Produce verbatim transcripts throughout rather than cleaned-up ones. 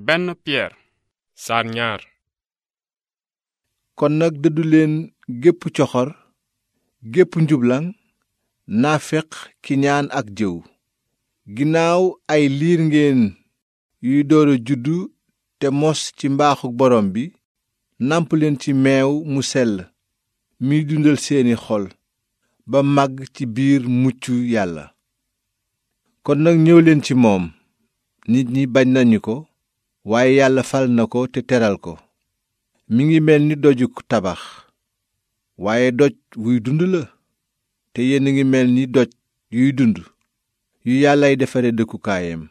benn Piyeer saar ñaar. kon nag dëddu leen gépp coxor gépp njublaŋ naaféq kiñaan ak jëw. ginnaaw ay liir ngeen yuy door a juddu te mos ci mbaaxu borom bi, nàmp leen ci meew mu sell miy dundal seeni xol ba màgg ci biir muccu yàlla. kon nag ñëw leen ci moom, nit ñi bañ nañu ko, waaye yàlla fal na ko te teral ko. mi ngi mel ni doju tabax, waaye doj wuy dund la, te yéen a ngi mel ni doj yuy dund yu yàllay defare dëkkukaayam.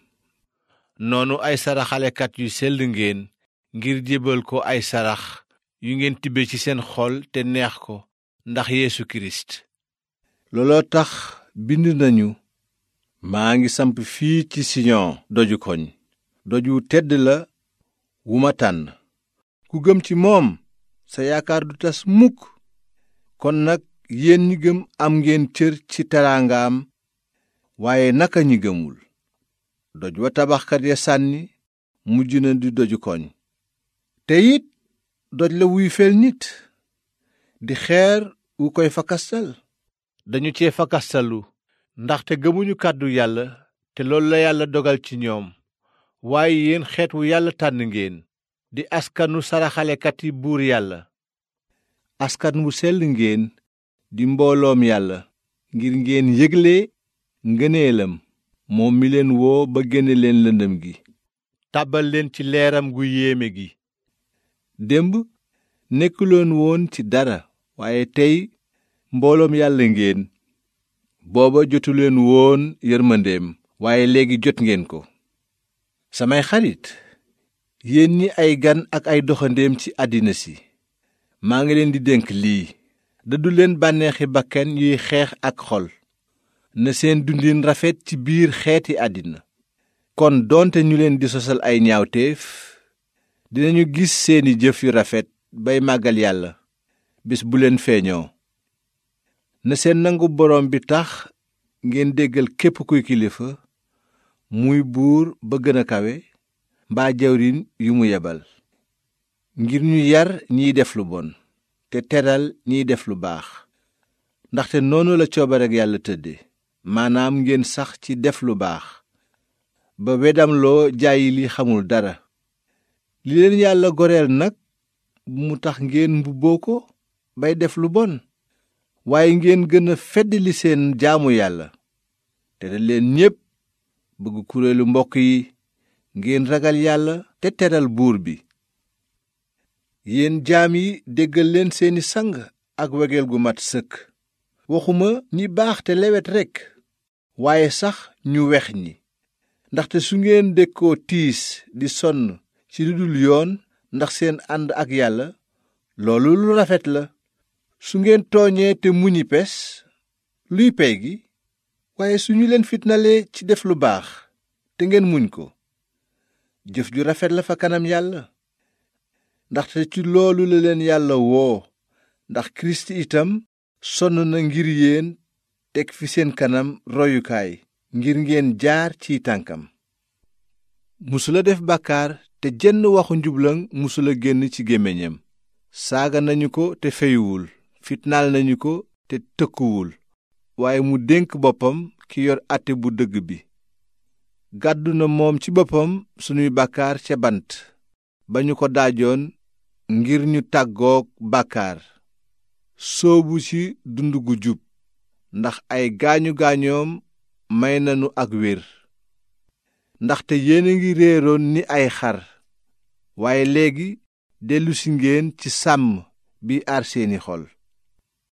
noonu ay saraxalekat yu sell ngeen ngir jébal ko ay sarax yu ngeen tibbe ci seen xol te neex ko ndax Yeesu Kirist. looloo tax bind nañu, maa ngi samp fii ci Siyon doju koñ, doj wu tedd la wu ma tànn. ku gëm ci moom sa yaakaar du tas mukk. kon nag yéen ñi gëm am ngeen cër ci teraangaam, waaye naka ñi gëmul? doj wa tabaxkat ya sànni mujj na di doju koñ, te it doj la wuy fel nit, di xeer wu koy fakastal. dañu cee fakastalu ndaxte gëmuñu kàddu yàlla, te loolu la yàlla dogal ci ñoom. waaye yéen xeet wu yàlla tànn ngeen, di askanu saraxalekat yi buur yàlla. askan wu sell ngeen, di mbooloom yàlla, ngir ngeen yégle ngëneelam moom mi leen woo ba génne leen lëndëm gi, tàbbal leen ci leeram gu yéeme gi. démb nekkuloon woon ci dara, waaye tey mbooloom yàlla ngeen. booba jotuleen woon yërmandeem, waaye léegi jot ngeen ko. samay xarit, yéen ñi ay gan ak ay doxandéem ci àddina si, maa ngi leen di dénk lii: dëddu leen bànneexi bakkan yuy xeex ak xol. na seen dundin rafet ci biir xeeti àddina. kon doonte ñu leen di sosal ay ñaawteef, dinañu gis seeni jëf yu rafet bay màggal yàlla bés bu leen feeñoo. na seen nangu borom bi tax ngeen déggal képp kuy kilifa, muy buur ba gën a kawe, mbaa jawriñ yu mu yebal, ngir ñu yar ñiy def lu bon te teral ñiy def lu baax. ndaxte noonu la coobareg yàlla tëdde, maanaam ngeen sax ci def lu baax, ba wedamloo jaayi li xamul dara. li leen yàlla goreel nag bu mu tax ngeen mbubboo ko bay def lu bon, waaye ngeen gën a feddali seen jaamu yàlla. teral leen ñépp, bëgg kuréelu mbokk yi, ngeen ragal yàlla te teral buur bi. yéen jaam yi, déggal leen seeni sang ak wegeel gu mat sëkk. waxuma ñi baax te lewet rekk, waaye sax ñu wex ñi. ndaxte su ngeen dékkoo tiis di sonn ci lu dul yoon ndax seen ànd ak yàlla, loolu lu rafet la. su ngeen tooñee te muñi pes, luy pey gi? waaye su ñu leen fitnalee ci def lu baax te ngeen muñ ko, jëf ju rafet la fa kanam yàlla. ndaxte ci loolu la leen yàlla woo, ndax Kirist itam sonn na ngir yéen, teg fi seen kanam royukaay ngir ngeen jaar ci tànkam. musula def bàkkaar, te jenn waxu njublaŋ musula génn ci gémmiñam. saaga nañu ko te feyuwul, fitnaal nañu ko te tëkkuwul, waaye mu dénk boppam ki yor àtte bu dëgg bi. gàddu na moom ci boppam sunuy bàkkaar ca bant ba ñu ko daajoon, ngir ñu tàggook bàkkaar, soobu ci dund gu jub. ndax ay gaañu gaañoom may nanu ak wér. ndaxte yéen a ngi réeroon ni ay xar, waaye léegi dellusi ngeen ci sàmm bi aar seeni xol.